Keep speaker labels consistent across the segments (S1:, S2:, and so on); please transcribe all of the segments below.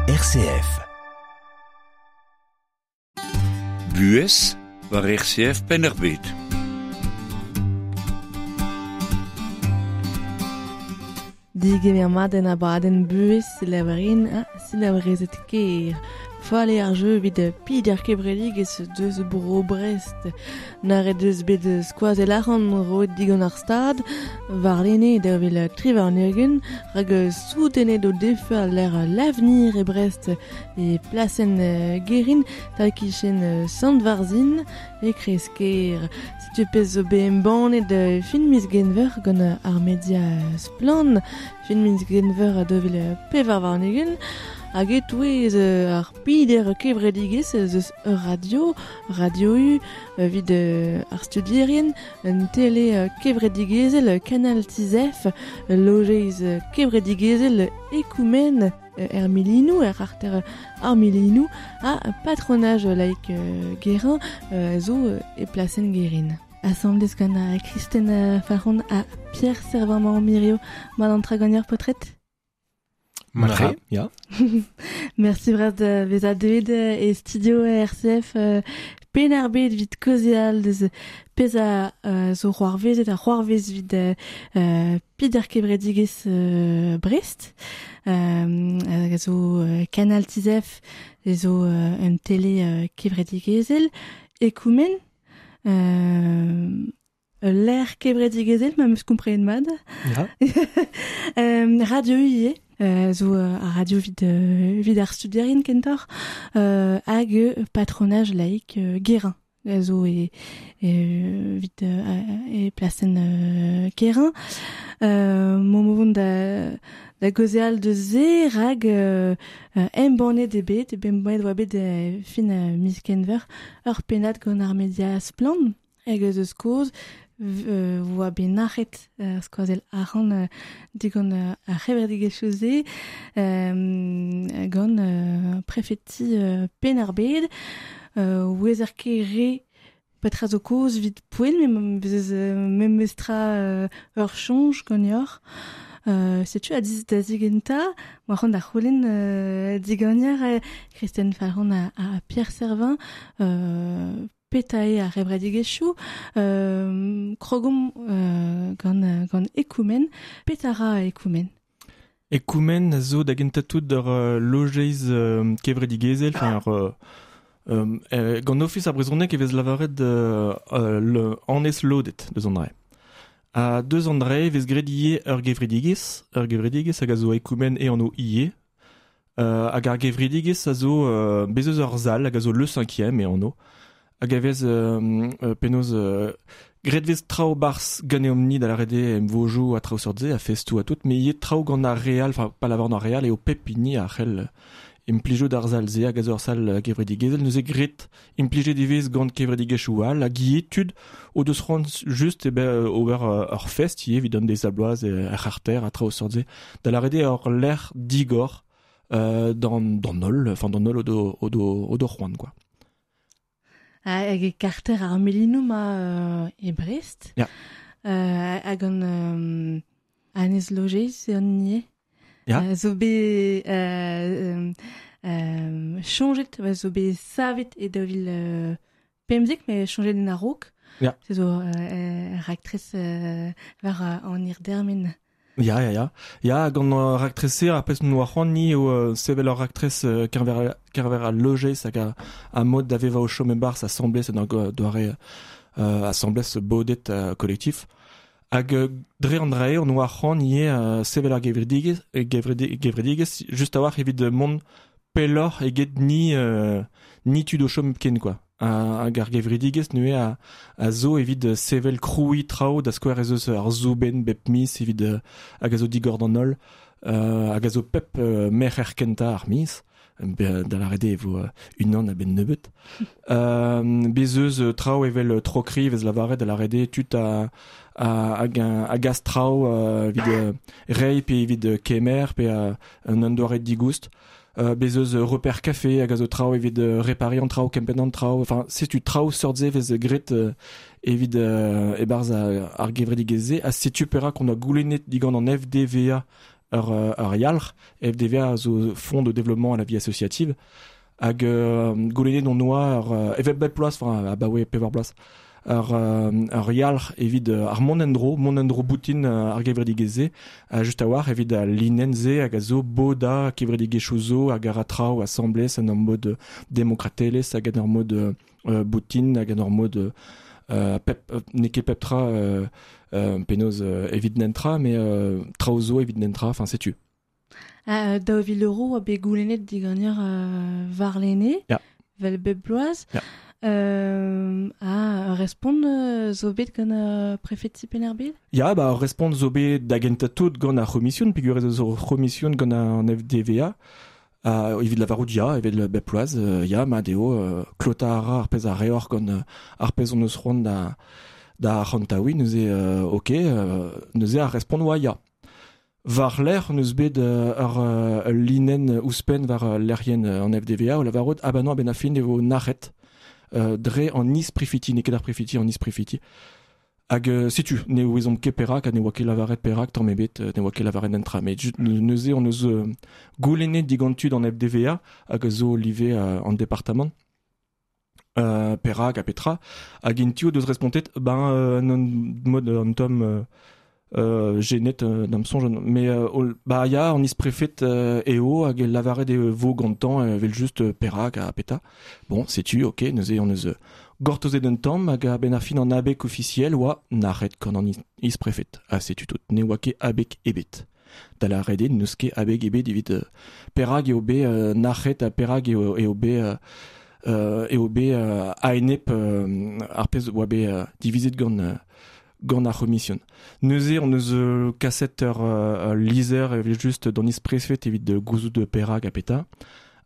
S1: RCF.
S2: Buhez war RCF Penn-ar-Bed.
S3: Digemer mat en abadenn buhez selaouerien ha selaouerezed ker. Fall eo ar jeu evit Pider Kevredigezh deus bro Brest. Nac'het deus bet skoazell arc'hant roet digant ar Stad warlene 2023 rak soutenet o defe al lec'h L'Avenir e Brest e plasenn Guerin tal-kichen Sant-Varzhin e kreiz-kêr. Setu pezh zo bet embannet fin miz Genver gant ar media Splann! Fin miz Genver 2024 hag e-touez ar peder kevredigezh ez eus ur radio, Radio U, evit ar studierien, un tele kevredigezhel Canal Tizef, ul lojeiz kevredigezhel Ekoumen er Milinoù, er c'harter ar Milinoù, ha patronaj laik Guérin zo e plasenn Guérin. Asambles gant Kristen Faron ha Pierre Servant-Mirio, mat an traganier paotred?
S4: Matre, ya.
S3: Merci bras da vezañ deuet e studio RCF Penn-ar-Bed evit kaozeal deus pezh a zo c'hoarvezet ha c'hoarvez evit peder kevredigezh Brest hag a zo Canal Tizef zo un tele kevredigezhel Ekoumen ul lec'h kevredigezhel ma 'm eus komprenet mat.
S4: Ya.
S3: Radio ivez, zo ar radio evit, evit ar studierien kentoc'h, hag patronaj laik Guérin a zo e, evit e plasenn Guérin. M'omp o vont da, da gaozeal deus se rak embannet eo bet, embannet oa bet fin miz Kenver ur pennad gant ar media Splann! Hag eus eus kozh oa bet nac'het ar skoazell arc'hant digant ar c'hevredigezhioù-se gant prefeti Penn-ar-Bed. Ouezer ket re petra zo kaoz evit poent met ez eus memestra ur soñj ganeoc'h. Setu da zigentañ, oa c'hoant da c'houlenn diganeoc'h Kristen Falc'hon ha Pierre Servin petra eo ar c'hevredigezhioù. Krogomp gant, gant Ekoumen. Petra ra Ekoumen?
S4: Ekoumen a zo da gentañ tout ur lojeiz kevredigezhel, enfin ur gant Ofis ar brezhoneg e vez lavaret annez lodet deus an dra. Ha deus an dra e vez graet ivez ur gevredigezh, ur gevredigezh hag a zo Ekoumen e anv ivez. Hag ar gevredigezh a zo bez eus ur sal hag a zo Le Cinquième e anv hag a vez penaos graet vez traoù 'barzh ganeomp-ni da lâret eo emvojoù ha traoù seurt-se ha festoù ha tout met ivez traoù gant ar re all enfin pa lavaran ar re all eo pep hini a c'hell implijout ar sal-se hag a zo ur sal kevredigezhel neuze graet Implijet e vez gant kevredigezhioù all hag ivez tud o deus c'hoant just eo bet ober ur fest ivez evit an deiz-ha-bloaz er c'harter ha traoù seurt-se. Da lâret eo ur lec'h digor d'an d'an holl, enfin d'an holl o do, o do, o do c'hoant quoi.
S3: Hag e karter ar Milinoù ma e Brest.
S4: Ya.
S3: Hag an Annez Logeiz eo an hini
S4: Ya.
S3: Zo bet soñjet, zo bet savet e 2015, met soñjet en a-raok.
S4: Ya.
S3: Se zo raktres war an hirdermen.
S4: Ya, ya, ya. Ya, gant ar raktres-se, ar pezh m'oa c'hoant ni eo sevel ur raktres keñver, keñver al lojeiz hag a mod da vevañ o chom e-barzh asambles en ur doare asambles bodet kolektif. Hag dre an dra-se on oa c'hoant ivez sevel ar gevredigezh, gevredigezh just a-walc'h evit mont pelloc'h eget ni ni tud o chom ken quoi. Hag ar gevredigezh neuze a zo evit sevel krouiñ traoù, da skouer ez eus ar soubenn bep miz evit hag a zo digor d'an holl, hag a zo pep merc'her kentañ ar miz. Da lâret eo e vo unan a-benn nebeut. Bez eus traoù evel tro-kri vez lavaret da lâret eo tud a, a, a gas traoù evit reiñ pe evit kemer pe un doare digoust. Bez eus reper kafe hag a zo traoù evit repariñ an traoù, kempenn an traoù. Enfin, setu traoù seurt-se vez graet evit e-barzh ar gevredigezh-se. Ha setu perak on a goulennet digant an FDVA. ur yalc'h, FDVA zo Fonds de développement à la vie associative, hag goulennet on oa ur evel bep bloaz, enfin abaoe pevar bloaz, ur yalc'h evit ar mont en-dro boutin ar gevredigezh-se, just a-walc'h evit al linenn-se hag a zo boda kevredigezhioù zo hag a ra traoù asambles en ur mod demokratelezh hag en ur mod boutin hag en ur mod pep n'eo ket pep tra penaos evit nentra, mais traoù zo evit nentra, enfin setu.
S3: 2000 euros a bet goulennet diganeoc'h warlene,
S4: Ya.
S3: vel bep bloaz.
S4: Ya.
S3: A respont zo bet gant prefeti Penn-ar-Bed?
S4: Ya, ba respont zo bet da gentañ tout gant ar c'homision, peogwir ez eus ur c'homision gant an FDVA, evit lavarout ya, evit bep bloaz, ya, mat eo, klotañ a ra ar pezh a reoc'h gant ar pezh hon eus c'hoant da arc'hantaouiñ, neuze ok, neuze ar respont oa ya. War-lerc'h hon eus bet ur linenn ouzhpenn war lec'hienn an FDVA o lavarout ah bah non, a-benn ar fin e vo nac'het dre an is-prefeti, n'eo ket ar prefeti, an is-prefeti. Hag setu, ne ouezomp ket perak ha ne oa ket lavaret perak tamm ebet, ne oa ket lavaret entra. Met neuze hon eus goulennet digant tud an FDVA hag a zo live an departamant. Perak ha petra. Hag int deus respontet, ben non mod an tamm genet d'am soñj, mais ba ya an is-prefet eo hag lavaret e vo gantañ evel just perak ha petra. Bon, setu, ok, neuze on eus gortozet un tamm hag a-benn ar fin an abeg ofisiel oa nac'het gant an is-prefet. Ha setu tout, ne oa ket abeg ebet. Da lavaret eo n'eus ket abeg ebet evit perak eo bet nac'het ha perak eo bet a-enep ar pezh oa bet divizet gant gant ar c'homision. Neuze on eus kaset ur lizher evel just d'an is-prefet evit gouzout perak ha petra,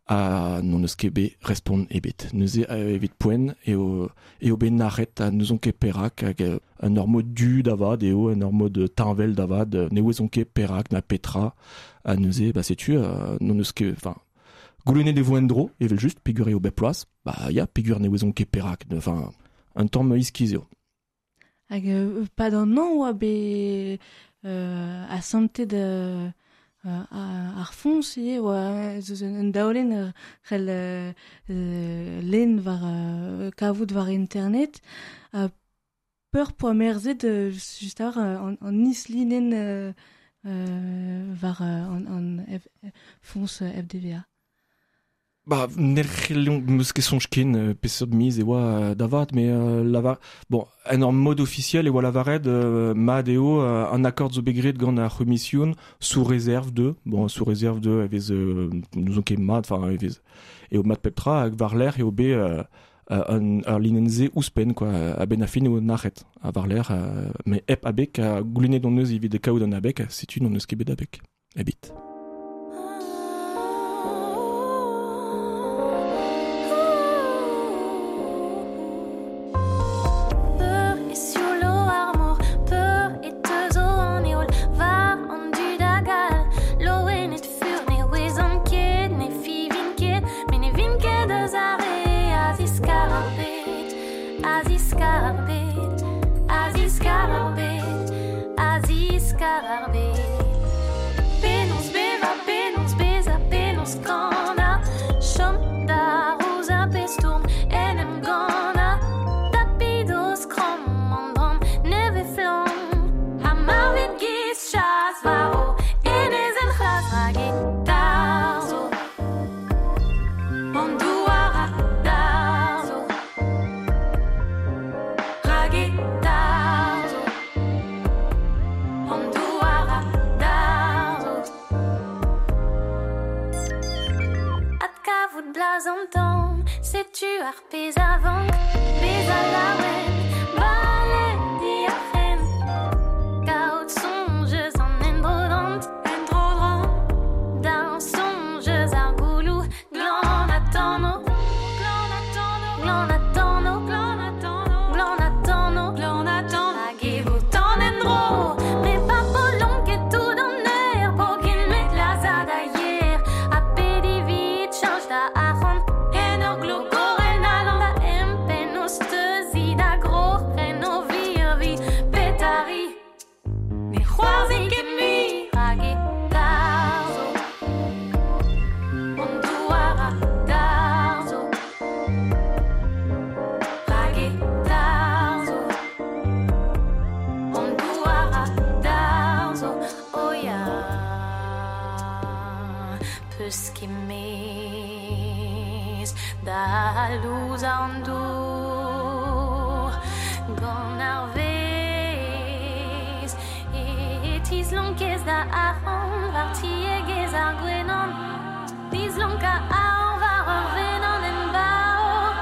S4: ha n'on eus ket bet respont ebet. Neuze evit poent eo bet nac'het ha n'ouzon ket perak hag un ur mod du da vat eo, un ur mod teñvel da vat, ne ouezon ket perak na petra, ha neuze ba setu n'on eus ket, enfin goulennet e vo en-dro evel just, peogwir eo bep bloaz, ba ya, peogwir ne ouezon ket perak, enfin un tamm iskis eo.
S3: Hag pad an an oa bet asantet ar foñs ivez oa eus un daolenn c'hell lenn war kavout war internet. Peur poa merzet just ar an islinenn war an foñs FDVA.
S4: Ba, ne c'hellomp meus ket soñj ken peseurt miz e oa da vat, mais lavar... Bon, en ur mod ofisiel e oa lavaret mat eo an akord zo bet graet gant ar c'homision sous réserve de, bon, sous réserve de, e vez n'ouzon ket mat, enfin, e vez eo mat pep tra, hag war-lerc'h eo bet ur linenn-se ouzhpenn, quoi, a-benn ar fin eo nac'het, ha war-lerc'h, mais hep abeg, ha goulennet hon eus evit kaout an abeg, setu n'hon eus ket bet abeg, ebet.
S1: En ur glogorel na da empenn o steuzi da gro. deus ket mez da louzañ an dour gant ar vezh e tislonkez da arc'hant war tiegezh ar gwenan dislonkañ arc'hant war ur venan en bav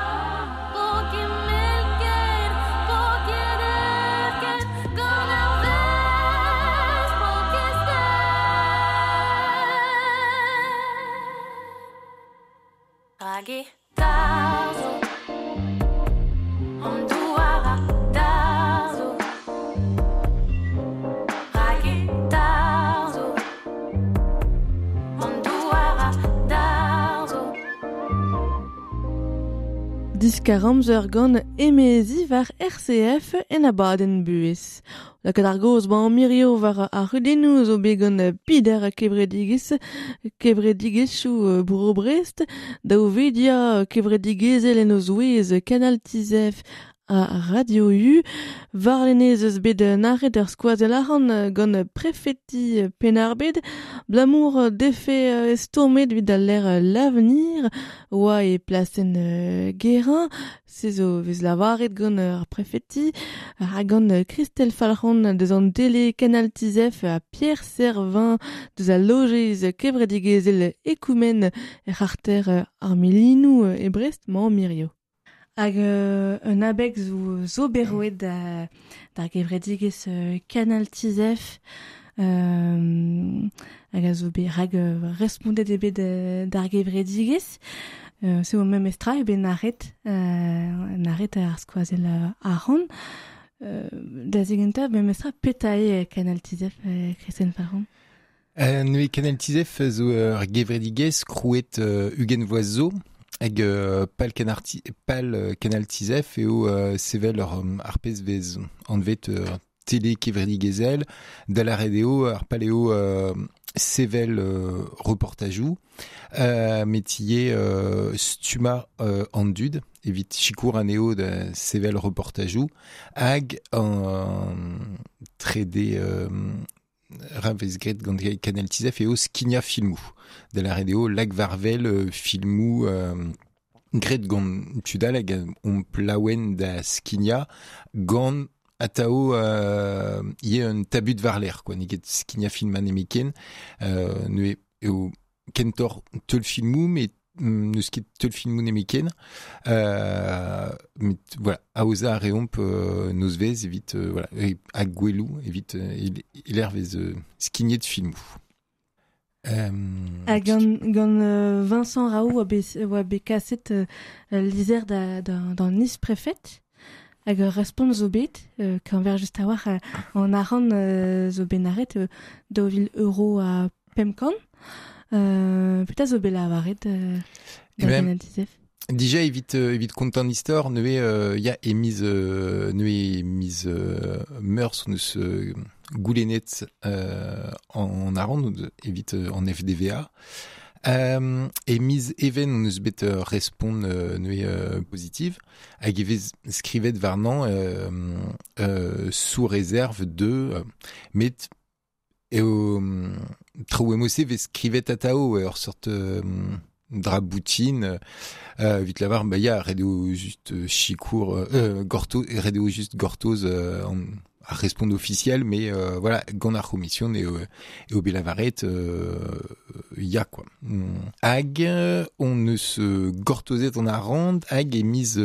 S1: po ket melket po ket erket gant ar vezh po ket ster Rak e tarzho an douar a darzho Rak e tarzho an douar a darzho
S3: Diskar amzer gant emezi war RCF en abadenn buhez. Lakaat ar gaoz 'ba mirio war ar c'hudennoù zo bet gant peder kevredigezh, kevredigezhioù Bro Brest, daou vedia kevredigezhel en o zouez Canal Tizef ha Radio U. Warlene ez eus bet nac'het ur skoazell arc'hant gant prefeti Penn-ar-Bed, 'balamour defe stourmet evit al lec'h L'Avenir oa e plasenn Guérin. Se zo 'vez lavaret gant ar prefeti ha gant Christelle Falc'hon deus an tele Canal Tizef ha Pierre Servin deus al lojeiz kevredigezhel Ekoumen er c'harter ar Milinoù e Brest 'mañ Mirio. Hag un abeg zo bet roet d'ar gevredigezh Canal Tizef hag a zo bet rak respondet eo bet d'ar gevredigezh. Se eo memes tra eo bet nac'het ar skoazell arc'hant. Da zigentañ memes tra petra eo Canal Tizef, Christelle Falc'hon?
S5: Neuze Canal Tizef zo ur gevredigezh krouet ugent vloaz zo hag pal Canal Tizef eo sevel ur ar pezh vez anvet tele kevredigezhel da lâret eo ar pal eo sevel reportajoù met ivez stummañ an dud evit sikour anezho da sevel reportajoù hag an trede ra vez graet gant Canal Tizef eo skignañ filmoù. Da lâret eo lak war-wel filmoù graet gant tud all hag omp laouen da skignañ gant atav ivez un tabut war-lerc'h quoi. N'eo ket skignañ film nemetken. Neuze eo kentoc'h teulfilmoù met n'eus ket teulfilmoù nemetken. Met voilà, aozañ a reomp nozvezh evit voilà, ha gweloù evit e-lec'h vez skignet filmoù.
S3: Ha gant Vincent Raoult oa bet kaset lizher d'an is-prefed hag ur respont zo bet, keñver just a-walc'h an arc'hant zo bet nac'het 2 000 euro ha 500. Petra zo bet lavaret da Canal Tizef?
S5: Dija evit kontañ an istor neuze ya e miz neuze miz Meurzh hon eus goulennet an arc'hant evit an FDVA. E miz Even hon eus bet respont neuze pozitiv hag e vez skrivet warnañ sous réserve de met eo traoù emo-se vez skrivet atav ur seurt dra boutin evit lavar ba ya ret eo just sikour gortoz ret eo just gortoz ar respont ofisiel mais voilà gant ar c'homision eo bet lavaret ya quoi. Hag on eus gortozet an arc'hant hag e miz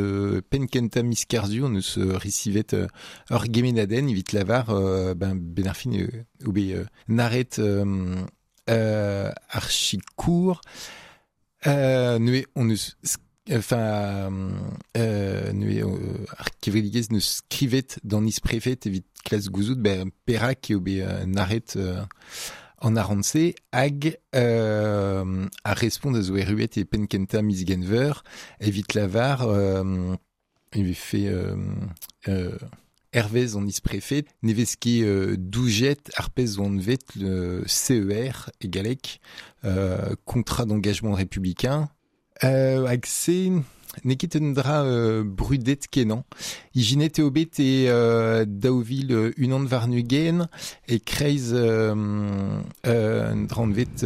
S5: penn kentañ miz Kerzu on eus resivet ur gemennadenn evit lavar ben ben ar fin eo bet nac'het ar sikour neuze on eus enfin neuze ar kevredigezh neus skrivet d'an is-prefed evit klask gouzout ben perak eo bet nac'het an arc'hant-se hag ar respont a zo erruet e penn kentañ miz Genver evit lavar e vefe hervez an is-prefed ne vez ket doujet ar pezh zo anvet le CER e galleg, contrat d'engagement républicain. Hag se n'eo ket un dra brudet kenañ. Ijinet eo bet e daou vil unan warn-ugent e kreiz un dra anvet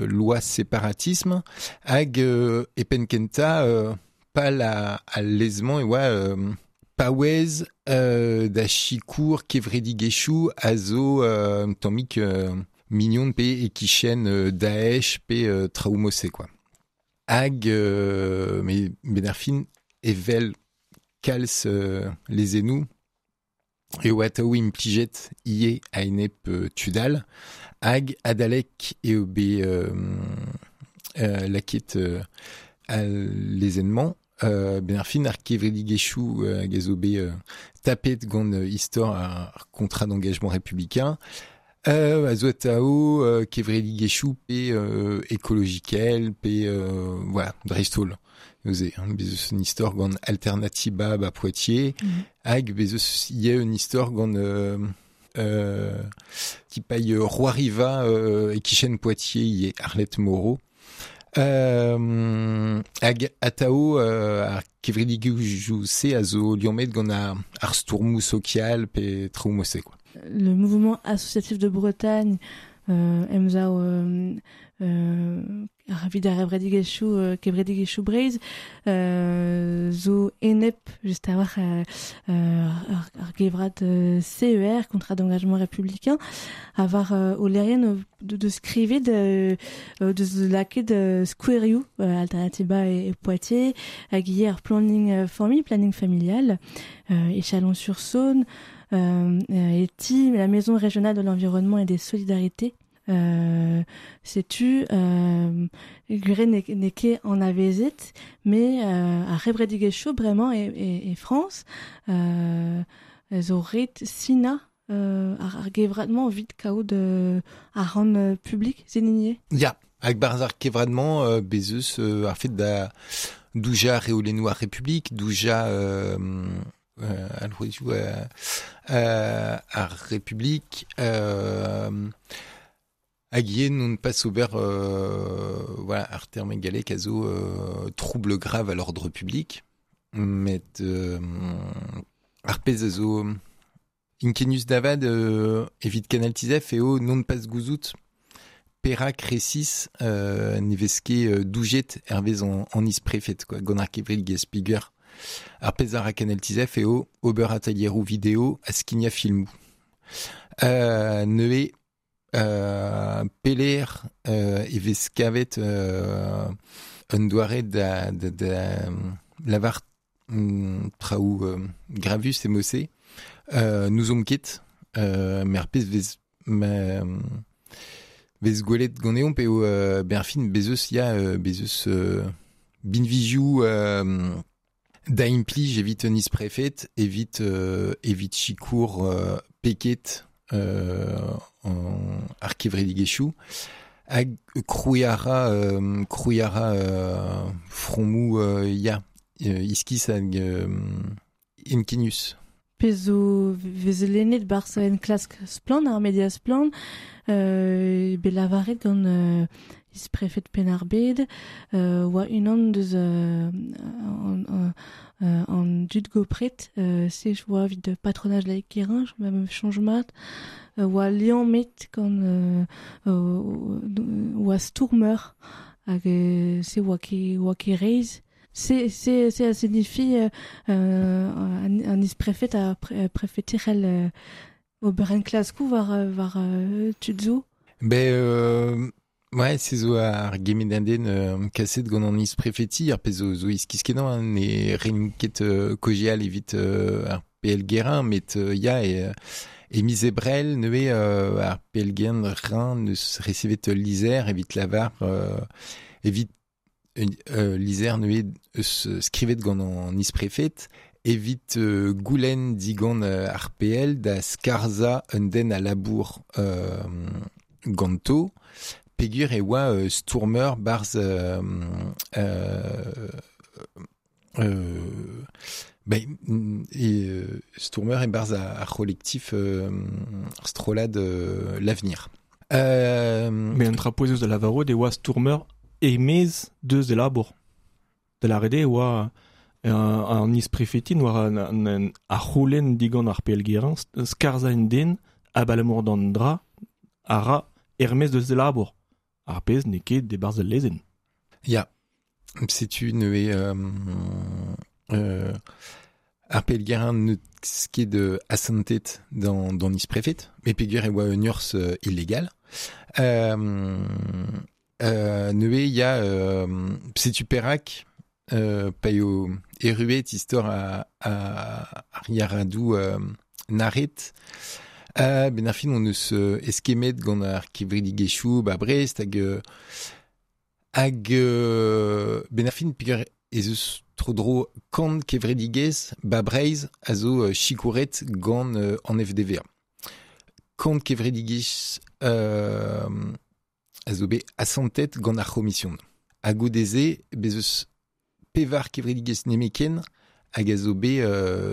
S5: loi séparatisme hag e penn kentañ pal al lez-mañ e oa paouez da sikour kevredigezhioù a zo un tammig mignon pe e-kichen Daesh pe traoù mod-se quoi. Hag met 'benn ar fin evel kalz lezennoù eo atav implijet ivez a-enep tud all hag adalek eo bet lakaet al lezenn-mañ 'benn ar fin ar kevredigezhioù hag a zo bet tapet gant istor ar contrat d'engagement républicain a zo atav kevredigezhioù pe ekologikel pe voilà, dreist-holl. Neuze, hein, bez eus un istor gant Alternatiba ba Poitiers, hag bez eus ivez un istor gant skipailh Roariva e-kichen Poitiers ivez, Arlette Moreau. Hag atav ar kevredigezhioù-se a zo liammet gant ar stourmoù sokial pe traoù mod-se quoi.
S3: Le mouvement associatif de Bretagne emsav evit ar kevredigezhioù kevredigezhioù Breizh zo enep just a-walc'h ar gevrat CER, contrat d'engagement républicain, ha war o lec'hienn deus skrivet deus lakaet skouerioù Alternatiba e Poitiers hag ivez ar planning famille, planning familial e Chalon-sur-Saône e ti la Maison régionale de l'environnement et des solidarités. Setu gwir n'eo ket anavezet, met ar c'hevredigezhioù bremañ e Frañs zo ret sinañ ar gevrad-mañ evit kaout arc'hant publik, se n'eo
S5: Ya, hag barzh ar kevrad-mañ bez eus ar fet da doujañ reolennoù ar Republik, doujañ alc'hwezioù ar Republik hag ivez n'on pas ober voilà, ar terme gallek a zo trouble grave à l'ordre public met ar pezh a zo inkenius da vat evit Canal Tizef eo non pas gouzout perak resis ne vez ket doujet hervez an isprefed quoi, gant ar kevredigezh peogwir ar pezh a ra Canal Tizef eo ober atelieroù video ha skignañ filmoù. Neuze pelec'h e vez kavet un doare da lavar traoù gravus e mod-se n'ouzomp ket met ar pezh vez vez gwelet ganeomp eo 'benn ar fin bez eus ya bez eus binvioù da implij evit un isprefed evit evit sikour peket ar kevredigezhioù hag krouiñ a ra krouiñ a ra fromoù ya iskis hag inkenius.
S3: Pezh zo vez lennet barzh enklask Splann, ar media Splann, bet lavaret gant isprefed Penn-ar-Bed, oa unan deus an dud gopret, se oa evit patronaj laik Kerrinj, ma soñj mat, oa liammet gant oa stourmer hag se oa ket oa ket reizh. Se se se a signifie an isprefed ha prefeti c'hell ober enklaskoù war war tud zo.
S5: Ben ouais, se zo ar gemennadenn kaset gant an isprefeti, ar pezh zo iskis-kenañ, hein, ne rin ket kaozeal evit ar PL Guérin, met ya, e miz Ebrel neuze ar PL Guérin neus resevet ul lizher evit lavar evit lizher neuze eus skrivet gant an isprefed evit goulenn digant ar PL da skarzhañ un den a labour ganto peogwir e oa stourmer barzh ben, e stourmer e-barzh ar c'holektif ar strollad L'Avenir.
S4: Mais un dra pouezus da lavarout e oa stourmer e-maez deus e labour. De la rede oa an isprefetin war an ar c'houlenn digant ar PL Guérin skarza en den abalamour d'an dra a ra Hermès deus e labour. Ar pezh n'eo ket debarzh al lezenn.
S5: Ya, setu neuze ar PL Guérin n'eus ket asantet d'an isprefed, met peogwir e oa un urzh illegal. Neuze ya, setu perak pa eo erruet istor ar yaradoù naret. Ben ar fin on eus eskemmet gant ar kevredigezhioù ba Brest hag hag ben ar fin peogwir ez eus tro-dro kant kevredigezh ba Breizh a zo sikouret gant an FDVA. Kant kevredigezh a zo bet asantet gant ar c'homision. Ha goude-se, bez eus pevar kevredigezh nemetken hag a zo bet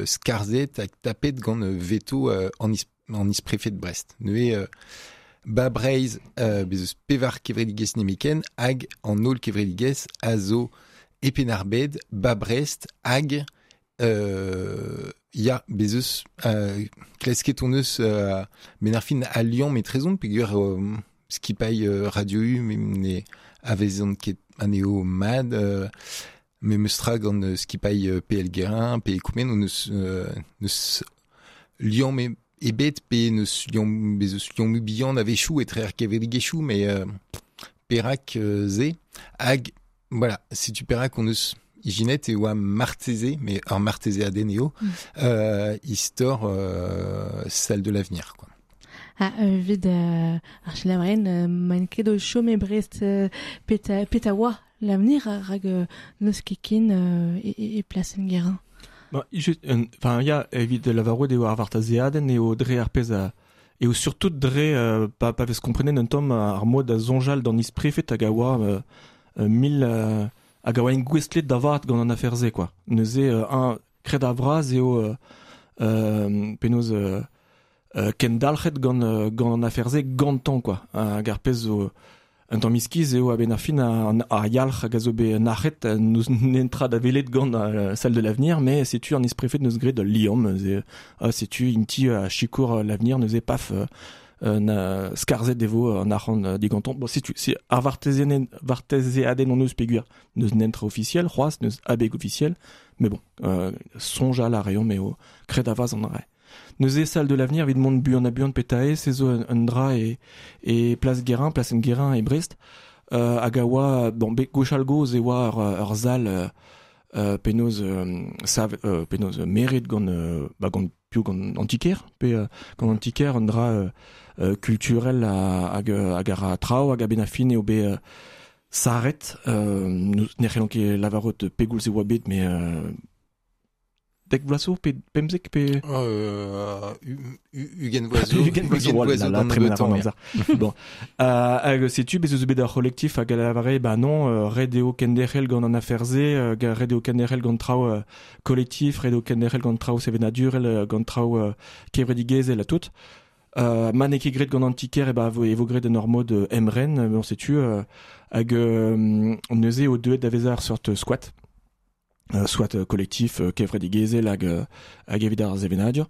S5: skarzhet hag tapet gant veto an, is, an isprefed Brest. Neuze, ba Breizh, bez eus pevar kevredigezh nemetken hag an holl kevredigezh a zo e Penn-ar-Bed, ba Brest hag ya, bez eus klasket hon eus ben ar fin al liamm etrezomp peogwir skipailh Radio U ne avezont ket anezho mat memes tra gant skipailh PL Guérin pe Koumen on eus neus liamm ebet pe neus liamm bez eus liammoù bihan a-wechoù etre ar kevredigezhioù met perak se hag voilà, setu perak on eus ijinet e oa marteze, mais ur martezeadenn eo, istor salle de l'avenir, quoi.
S3: Ha evit ar selaouerien maint ket o chom e Brest peta, peta oa l'avenir rak n'eus ket ken e plasenn Guérin.
S4: Ba, just, enfin, ya, evit lavarout eo ar vartazeadenn eo dre ar pezh a eo surtout dre pa, pa vez komprenet un tamm ar mod da soñjal d'an isprefed hag a oa mil hag a oa engouestlet da vat gant an afer-se quoi. Neuze un kred a-vras eo penaos kendalc'het gant gant an afer-se gantañ quoi. Hag ar pezh zo un tamm iskis eo a-benn ar fin ar yalc'h hag a zo bet nac'het n'eus netra da welet gant la salle de l'avenir, mais setu an isprefed neus graet ul liamm neuze setu inti a sikour l'avenir neuze paf na skarzhet e vo an arc'hant digantañ. Bon, setu c'est ar vartezeadenn hon eus peogwir n'eus netra ofisiel c'hoazh, n'eus abeg ofisiel, mais bon, soñjal a reomp eo kred a-vras an dra. Neuze salle de l'avenir evit mont buan ha buan petae, se zo un dra e, e Place Guérin, Place Guérin e Brest, hag a oa, bon, bet gwechall gozh e oa ur sal penaos sav, penaos meret gant, ba, gant piv gant an ti-kêr, pe gant an ti-kêr un dra kulturel hag hag a ra traoù hag a-benn ar fin eo bet sarret, ne c'hellont ket lavarout pegoulz e oa bet, mais dek vloaz zo pe 15 pe
S5: ugent vloaz zo.
S4: Ugent vloaz zo, oh là là, tremen a ran amzer. Bon. Hag setu bez eus bet ur c'holektif hag a lavare ba non, ret eo kenderc'hel gant an afer-se, ret eo kenderc'hel gant traoù kolektif, ret eo kenderc'hel gant traoù sevenadurel, gant traoù kevredigezhel ha tout. Ma n'eo ket graet gant an ti-kêr e ba e vo graet en ur mod emren, bon setu hag neuze eo deuet da vezañ ur seurt squat. Soit kolektif kevredigezhel hag hag evit ar sevenadur.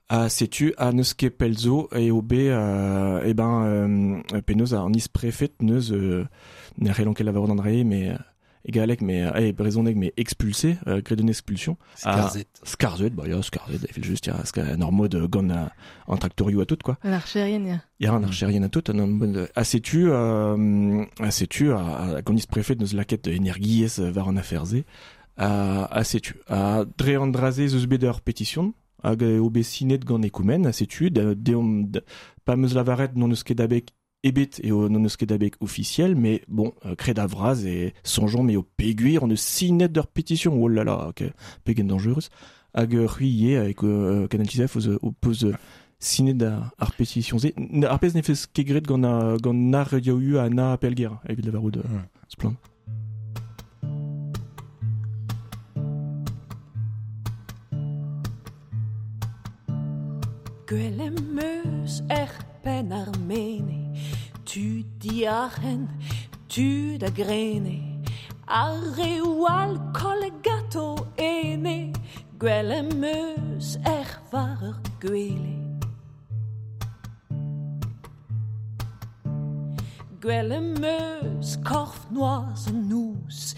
S4: Ha setu ha n'eus ket pell zo eo bet eh ben penaos an isprefed neus ne c'hellont ket lavarout an dra-se mais e galleg mais e brezhoneg mais expulsé, graet une expulsion.
S5: Skarzhet.
S4: Skarzhet, bah ya, skarzhet, evel just, ya, en ur mod gant an traktorioù ha tout, quoi.
S3: An archerien, ya.
S4: Ya, an archerien ha tout, en mod ha setu, ha setu, hag an isprefed neus lakaet energiezh war an afer-se. Ha setu, ha dre an dra-se ez eus bet ur petition hag eo bet sinet gant Ekoumen, ha setu, deomp, pa 'm eus lavaret n'hon eus ket abeg ebet eo n'hon eus ket abeg ofisiel, mais bon, kred a-vras e soñjomp eo peogwir hon eus sinet ur petition, oh là là, pegen dañjerus. Hag c'hwi ivez, avec Canal 19, ho peus sinet ar petition-se. Ar pezh ne fez ket graet gant gant na Radio U ha na Pelger, evit lavarout splann.
S6: Gwell em eus er penn ar mene, tud diarc'hen, tud a grene. Ar reoù all kollet ganto ene, gwell em eus er war ur gwele. Gwell em eus korf noazh an noz,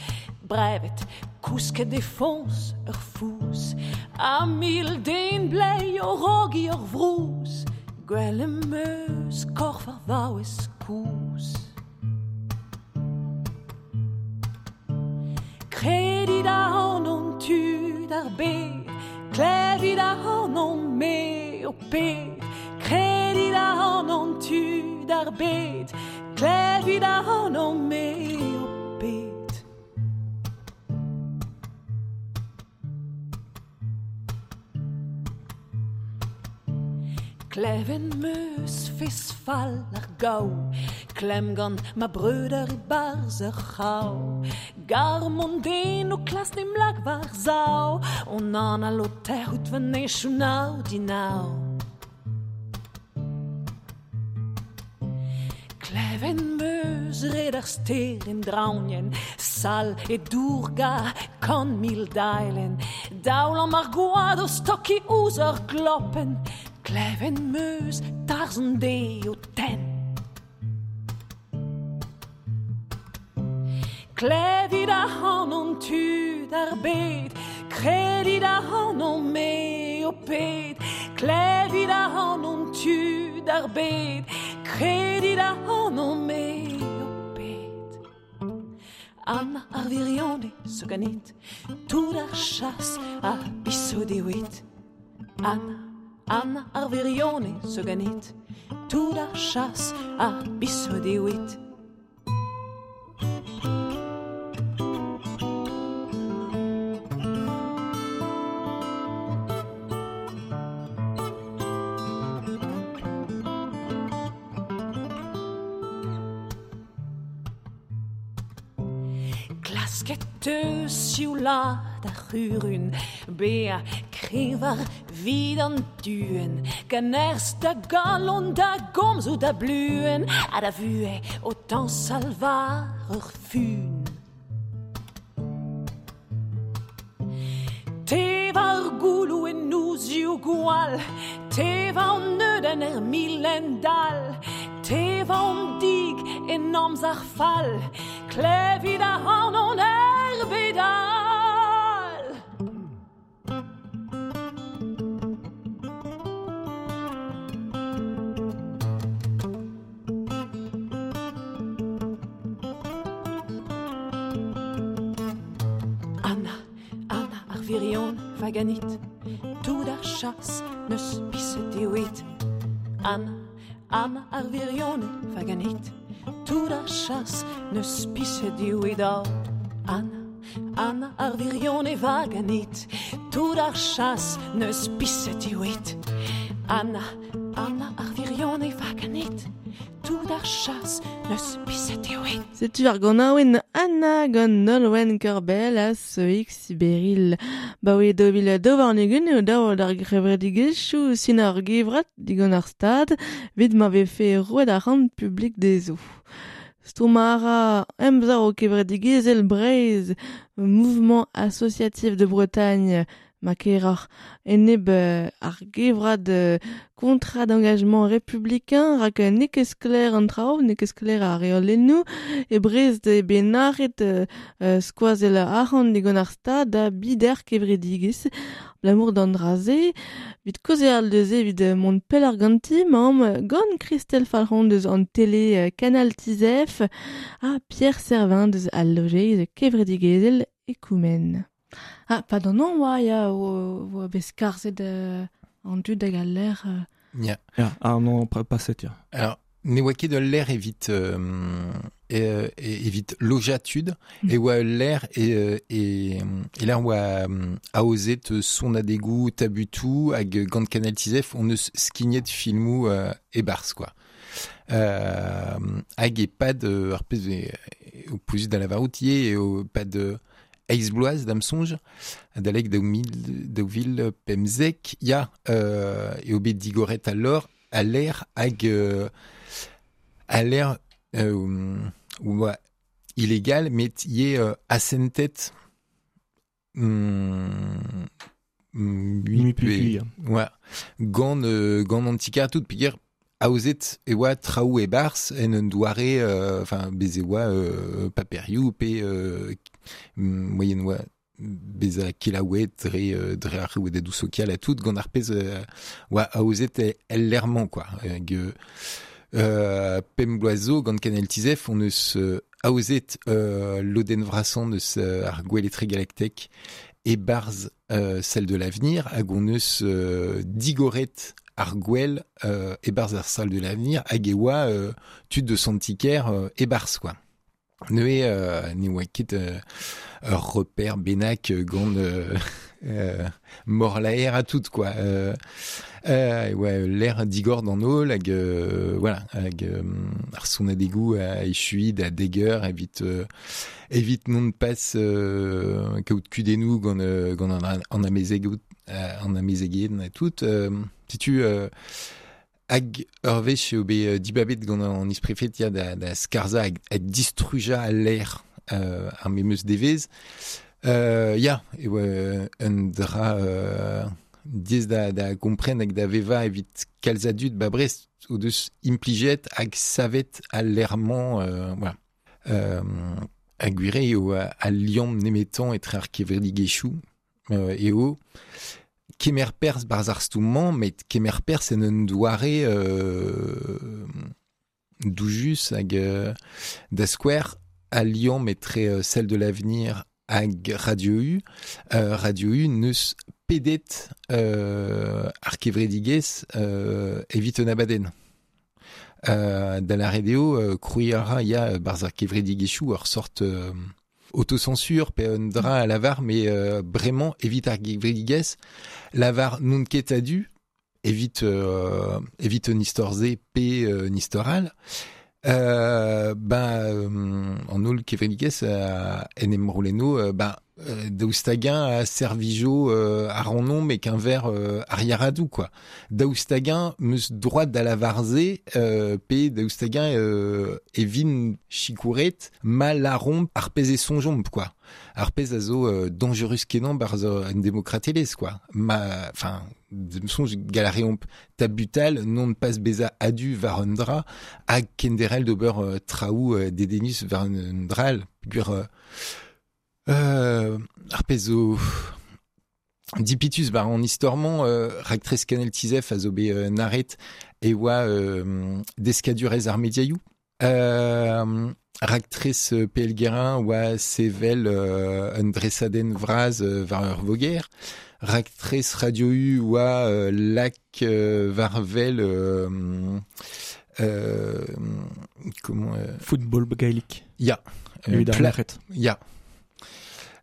S6: brevet kousket e foñs ur fouz, ha mil den blei o rogiñ ur vrouz, gwell em eus korf ar vaouez kozh. Kredit ac'hanon tud ar bed, klevit ac'hanon me ho ped, kredit ac'hanon tud ar bed, klevit ac'hanon me ho ped. Klevet 'm eus fez fall ar gaou, klemm gant ma breudeur e-barzh ur c'hraou. Garm an den o klask 'n em lak war-sav, on anal o tec'hout va nechoù nav dinaou. Klevet 'm eus red ar stêr en draoñienn, sall e dour-gar 100 000 daelenn, daoulamm ar gwad o stokiñ ouzh ur glopenn, klevet 'm eus tarzh an deiz o tenn. Klevit ac'hanon tud ar bed, kredit ac'hanon me ho ped, klevit ac'hanon tud ar bed, kredit ac'hanon me ho ped. Anna ar wirionez zo ganit, tout ar chas a biso dewit. Anna, Anna ar wirionez zo ganit, tout ar chas a biso dewit. Klasket teus sioulaat ar c'hurun, bezañ kreñv 'vit an duenn, gant nerzh da galon da gomzoù da bluenn, ha da vuhez o tañsal war ur fun. Te war gouloù en nozioù gwall, te war an neudenn er milendall, te war an dig en amzer fall, klevit ac'hanon er bed all. Anna, Anna ar wirionez va ganit, tout ar chas 'neus piset dewit. Anna, Anna ar wirionez va ganit, tout ar chas 'neus piset dewit. Oh, Anna, Anna ar wirionez va ganit, tout ar chas 'neus piset dewit. Anna, Anna ar wirionez va ganit, tout ar chas 'neus piset dewit.
S3: Setu ar ganaouenn Anna gant Nolwenn Korbell ha Soïg Siberil. Baoe 2022 eo dav d'ar gevredigezhioù sinañ ur gevrat digant ar Stad evit ma vefe roet arc'hant publik dezho. Stourm a ra Emsav kevredigezhel Breizh, Mouvement Associatif de Bretagne, ma keroc'h enep ar gevrat contrat d'engagement républicain rak n'eo ket sklaer an traoù, n'eo ket sklaer ar reolennoù, e Brest eo bet nac'het skoazell arc'hant digant ar Stad da bider kevredigezh. Abalamour d'an dra-se, evit kaozeal neuze evit mont pelloc'h ganti, 'maomp gant Christelle Falc'hon deus an tele Canal Tizef ha Pierre Servin deus al lojeiz kevredigezhel Ekoumen. Ah, pa d'an an oa, ya, oa bet skarzhet an dud hag al lec'h.
S5: Ya.
S4: Ya, an an paset, ya.
S5: Alors, ne oa ket ul lec'h evit evit lojañ tud, e oa ul lec'h e e lec'h oa aozet sonadegoù, tabutoù hag gant Canal Tizef on eus skignet filmoù e-barzh quoi. Hag e-pad ar pezh eo pouezus da lavarout ivez eo e-pad eizh bloaz da'm soñj, adalek 2015, ya, eo bet digoret al lor al lec'h hag al lec'h oa illegal met ye asentet
S4: mi pe
S5: ouais gant gant an ti-kêr tout peogwir aozet e oa traoù e-barzh en un doare enfin bez e oa paperioù pe moyen oa bezañ kelaouet dre dre ar rouedadoù sokial ha tout gant ar pezh oa aozet el lec'h-mañ quoi. Hag pemp bloaz zo gant Canal Tizef on eus aozet lodenn vrasañ eus ar gwel etregalaktek e-barzh celle de l'avenir hag on eus digoret ar gwel e-barzh ar salle de l'avenir hag e oa tud deus an ti-kêr e-barzh quoi. Neuze ne oa ket ur reper bennak gant morlaer ha tout quoi. E oa l'air digor d'an holl hag voilà hag ar sonadegoù a echuiñ da dek eur evit evit non pas kaout kudennoù gant gant an amezeg an amezegien ha tout. Setu Hag ur wech eo bet dibabet gant an isprefed ya da, da skarzhañ hag, hag distrujañ al lec'h ar memes devezh. Ya, e oa un dra diaes da, da gompren hag da vevañ evit kalz a dud ba Brest o deus implijet hag savet al lec'h-mañ. Voilà. Ha gwir eo al liamm nemetañ etre ar kevredigezhioù eo kemer perzh barzh ar stourm-mañ, met kemer perzh en un doare doujus hag da skouer al liamm etre celle de l'avenir hag Radio U. Radio U n'eus pedet ar kevredigezh evit un abadenn. Da lâret eo krouiñ a ra ya barzh ar kevredigezhioù ur sort autocensure pe un dra a lavar mais bremañ evit ar gevredigezh lavar n'on ket a-du evit evit un istor-se pe un istor all ben an holl kevredigezh en em roulenno ben daoust hag-eñ a servijo ar rannomp e-keñver ar yaradoù quoi. Daoust hag-eñ 'm eus droad da lavar se pe daoust hag-eñ e vin sikouret ma lâromp ar pezh e soñjomp quoi. Ar pezh a zo dañjerus-kenañ 'barzh an demokratelezh quoi. Ma enfin d'am soñj gall a reomp tabutal non pas bezañ a-du war un dra hag kenderc'hel d'ober traoù dedennus war un dra all peogwir ar pezh zo dipitus war an istor-mañ raktres Canal Tizef a zo bet nac'het e oa deskadurezh ar mediaioù. Raktres PL Guérin oa sevel un dresadenn vras war ur voger. Raktres Radio U oa lak war wel comment
S4: Football gaelic.
S5: Ya.
S4: Evit ar merc'hed.
S5: Ya.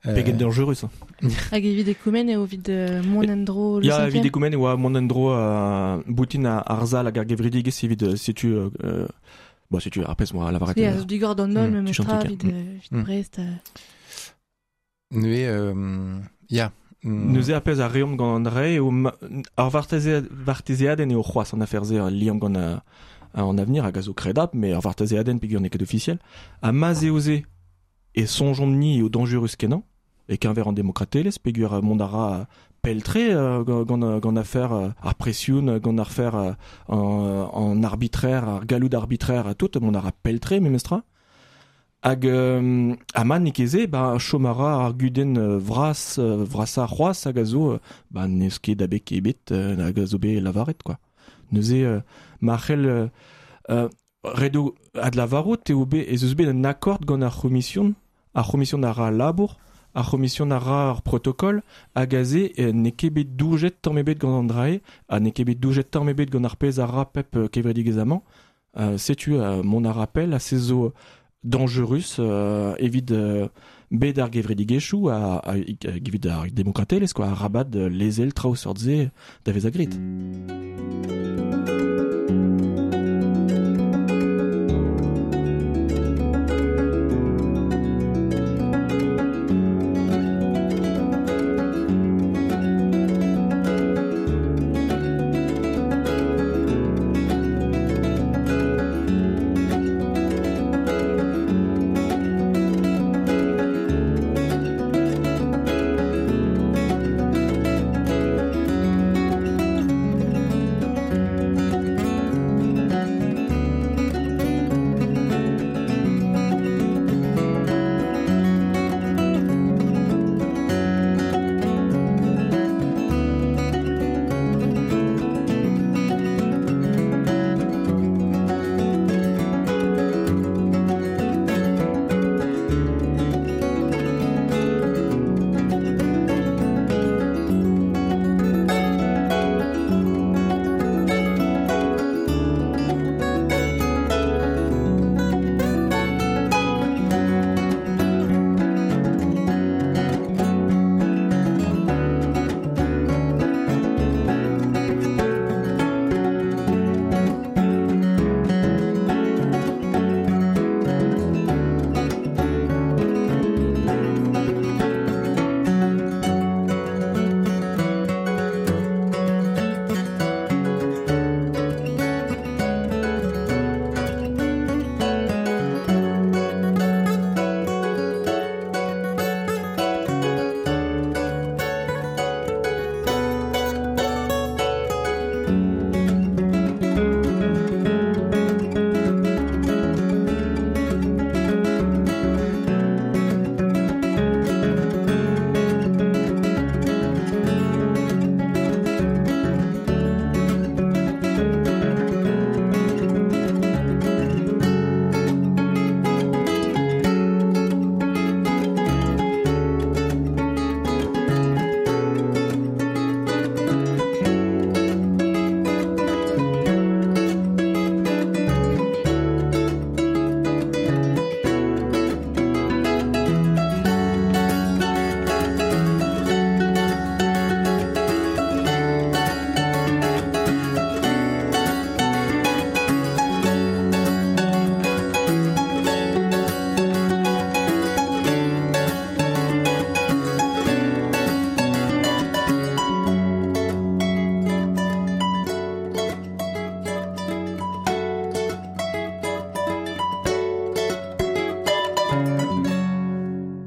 S4: Pegen dangerus.
S3: Hag evit ekoumen eo evit mont en-dro le
S4: Ya, evit ekoumen e oa mont en-dro boutin ar sal hag ar gevredigezh evit setu bon, setu ar pezh moa lavaret.
S3: Ya, digor d'an holl memestra evit Brest.
S5: Neuze, ya.
S4: Neuze ar pezh a reomp gant an dra eo ar vartezeadenn eo c'hoazh an afer-se al liamm gant an avenir hag a zo kredabl, mais ar vartezeadenn peogwir n'eo ket ofisiel. Ha ma'z eo se e soñjomp-ni eo dañjerus-kenañ e-keñver an demokratelezh peogwir mont a ra pell-tre gant gant afer ar presion, gant afer an arbitraire, ar galloud arbitraire ha tout, mont a ra pell-tre memestra. Hag ama n'eo ket se, ba chom a ra ar gudenn vras vrasañ c'hoazh hag a zo ba n'eus ket abeg ebet hag a zo bet lavaret quoi. Neuze ma c'hell ret eo adlavarout eo bet ez eus bet un akord gant ar c'homision, ar c'homision a ra al labour, ar c'homision a ra ar protokol, hag aze n'eo ket bet doujet tamm ebet gant an dra-se, ha n'eo ket bet doujet tamm ebet gant ar pezh a ra pep kevredigezh amañ. Setu mont a ra pell ha se zo dañjerus evit bed ar gevredigezhioù ha evit ar demokratelezh quoi, arabat lezel traoù seurt-se da vezañ graet.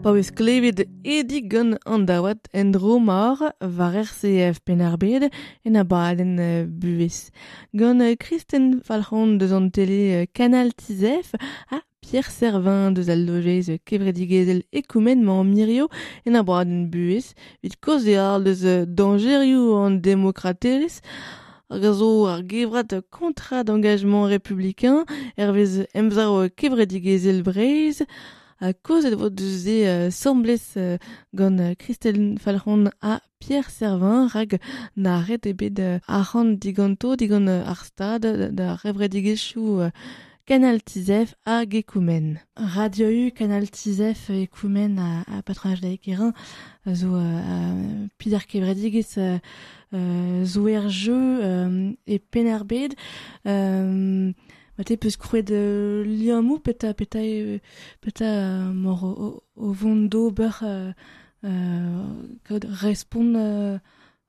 S3: Pa eus klevet edig gant an daouad en dro mar war RCF Penarbed en abadenn buhez. Gant Kristen Falc'hon deus an tele Canal Tizef ha Pierre Servin deus al lojeiz kevredigezhel ekoumen mañ mirio en abadenn buhez evit kaozeal deus dañjerioù an demokratelezh hag a zo ar gevrat contrat d'engagement républicain hervez emsav kevredigezhel Breizh a kozet vo deus e semblez gant Christelle Falc'hon ha Pierre Servin rag na ret ebet arc'hant diganto digant ar stad da revredigezhioù Canal Tizef hag Ekoumen. Radio U Canal Tizef Ekoumen a patronaj da ekerin zo Pider Kevredigez zo er jeu e Penarbed ma te peus krouet liammou peta peta peta mor o vont d'ober kaout respont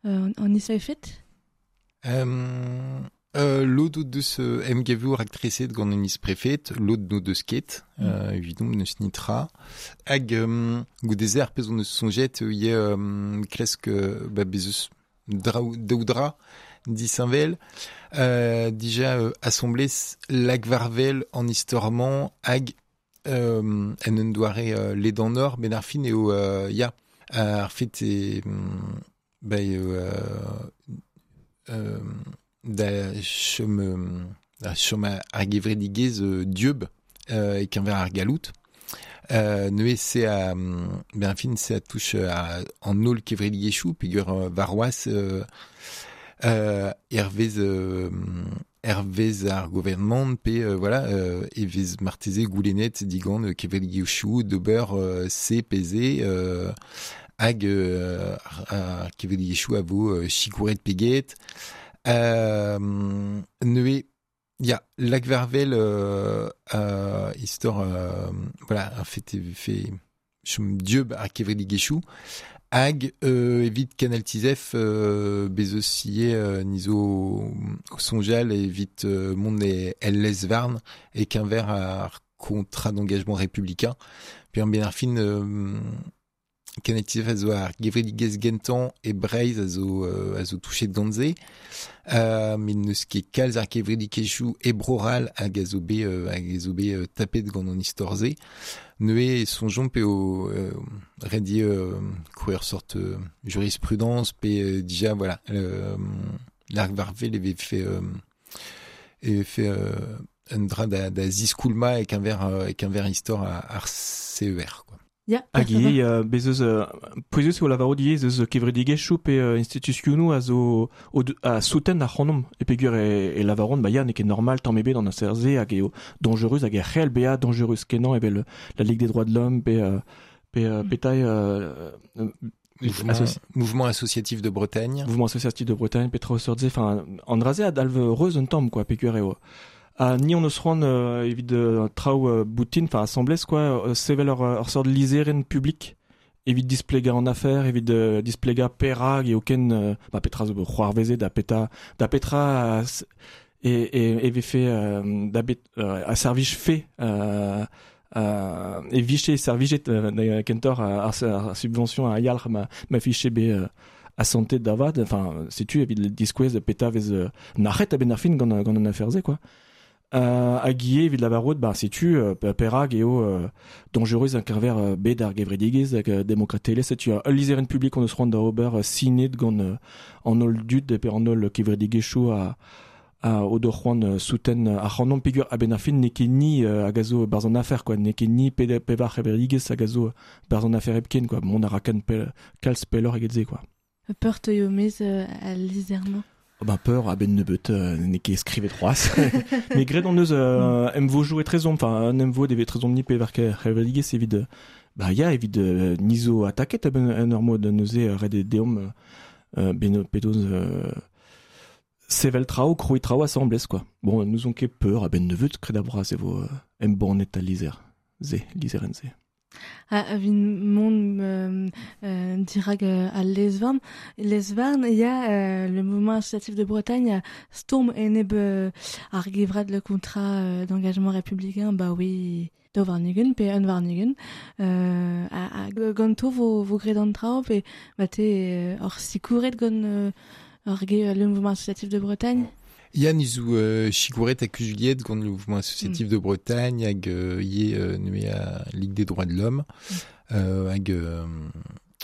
S3: an isfaifet?
S5: Lod deus emgavour aktreset gant un isprefet, lod no deus ket, evidom neus nitra. Hag goude ar pezh on eus soñjet eo klesk ba bezeus daoudra disinvel. Dija assemblez lagvarvel an istorman hag en un doare ledan or ben ar fin eo ya ar fet e ba eo da chom ar gevredigezh dieub e keñver ar galout. Neuze se a ben fin se a touche a an holl kevredigezhioù peogwir warc'hoazh hervez hervez ar gouarnamant pe voilà e vez marteze goulennet digant kevredigezhioù d'ober se pe se hag ar kevredigezhioù a vo sikouret pe get. Neuze ya lagvarvel istor voilà en fait fait chom dieub ar kevredigezhioù hag evit Canal Tizef bezeus ivez nizo o soñjal evit mont el lez-varn e keñver ar contrat d'engagement républicain puis an ben ar fin Canal Tizef a zo ar gevredigezh gentañ e Breizh a zo touchet gant se. Met n'eus ket kalz ar kevredigezhioù e Bro-C'hall hag a zo bet tapet gant an istor-se. Neuze e soñjomp eo ret eo krouer sort jurisprudence pe dija voilà l'arg varvel e vefe un dra da ziskoulma e keñver istor ar CER quoi.
S3: Ya,
S4: hag ivez bez eus pouezus eo lavaro ivez eus kevredigezhioù pe institutionoù a zo a souten ar c'hanomp e peogwir e lavaron ba ya n'eo ket normal tamm ebet an afer-se hag eo dangerus hag e c'hell bezañ dangerus kenañ evel la Ligue des droits de l'homme pe petai
S5: Mouvement associatif de Bretagne.
S4: Mouvement associatif de Bretagne, petra seurt-se, enfin an dra-se a dalv reuz un tamm quoi peogwir eo. Ha ni on eus c'hoant evit traoù boutin, enfin assemblez quoi, sevel ur sort lizherenn publik evit displegañ an afer, evit displegañ perak eo ken ba petra zo c'hoarvezet da petra e vefe da bet a servij fe e viche servijet da kentoc'h ar subvention a yalc'h ma fiche be a santé davad, enfin setu evit diskouez petra vez nac'het a-benn ar fin gant an afer-se quoi. Hag ivez evit lavarout ba setu perak eo dangerus an keñver bet ar gevredigezh hag demokratelezh setu ul lizherenn publik on eus c'hoant da ober sinet gant an holl dud pe an holl kevredigezhioù a o do c'hoant souten ar c'hanomp peogwir a-benn ar fin n'eo ket ni hag a zo barzh an afer quoi n'eo ket ni pevar c'hevredigezh hag a zo barzh an afer hepken quoi mont a ra kalz pelloc'h eget se quoi.
S3: Peur teuio mez al lizher-mañ.
S4: Ben peur a-benn nebeut n'eo ket skrivet c'hoazh. Met graet on eus emvo jouet trezomp, enfin un emvo devet trezomp ni pevar kevredigezh evit ba ya evit nizo ataket a-benn en ur mod neuze ret eo deomp ben pedoz sevel traoù, krouiñ traoù asambles quoi. Bon, nous on ket peur a-benn nebeut kred a-bras e vo embannet al lizher se, lizherenn se.
S3: A vin mont dirag al lez-varn. Lez-varn, ya le mouvement associatif de Bretagne a stourm enep ar gevrat le contrat d'engagement républicain, bah oui, daou warn-ugent pe un warn-ugent, a ganto vo graet an traoù pe ma te ur sikouret gant ur ge le mouvement associatif de Bretagne?
S5: Yann izu sikouret hag Juliette gant le mouvement associatif de Bretagne hag ye neuze a Ligue des droits de l'homme hag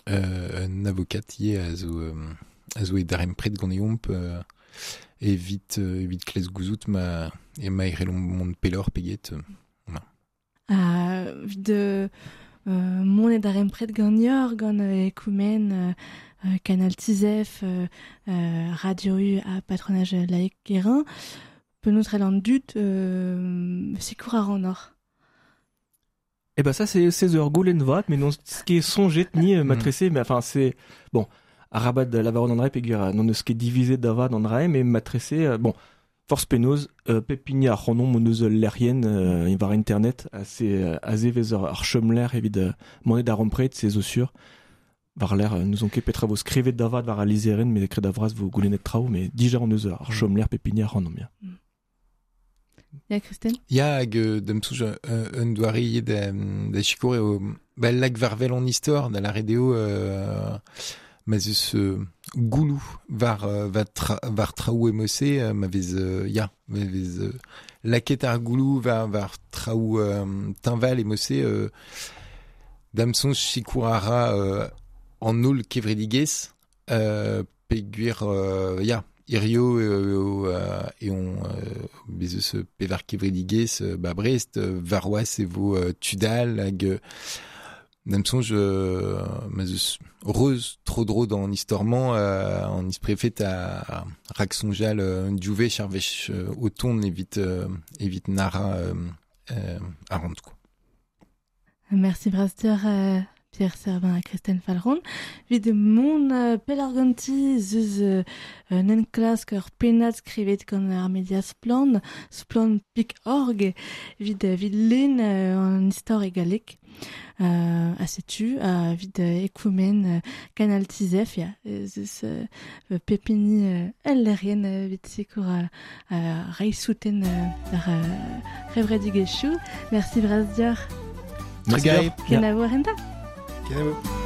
S5: un avocat ye a zo e darempred gant eomp evit evit klez gouzout ma e ma erelomp mont pelor peget.
S3: Evit mont e darempred gant yor, gant Ekoumen, Canal Tizef, Radio U ha patronage laïc Guérin, penaos trel an dud sikour ar an or.
S4: Eh ben ça c'est 16 heures goulen vat, mais non ce qui est songet ni matressé, mais enfin c'est bon, arabat de la varon an pegur non eus ket divisé davad an rae, mais matressé bon, force penaos pepini ar c'honon mon eus lerien war internet assez aze vez ar chomler evit monet da rompret c'est zo sur war l'air nous on ket petra vo skrivet davad war a lizeren mais kred avras vo goulennet traoù mais dija on eus ar chomler pepini ar c'honon ya.
S3: Ya Christine?
S5: Ya hag da'm soñj un doare ivez da sikour eo ba lak war wel an istor da lâret eo ma 'z eus gouloù war war traoù emose ma vez ya ma vez lakaet ar gouloù war traoù teñval emose da'm soñj sikour a ra an holl kevredigezh peogwir ya hirio eo eo bez eus pevar kevredigezh ba Brest warc'hoazh e vo Tudal hag da'm soñj ma 'z eus reuz tro-dro d'an istor-mañ an isprefed a rak-soñjal div wech ar wech o tont evit evit nara ar quoi.
S3: Merci bras Pierre Servin ha Kristen Falron. Evit mont pelarganti zeus un enklask ur pennad skrivet gant ar media Splann, splann.org, evit evit len an istor e galleg. A setu evit ekoumen Canal Tizef, ya, zeus pepini el lerien evit sikour reiñ souten ar c'hevredigezhioù. Merci bras deoc'h.
S5: Merci.
S3: Kenavo ar renta.
S5: Kenavo.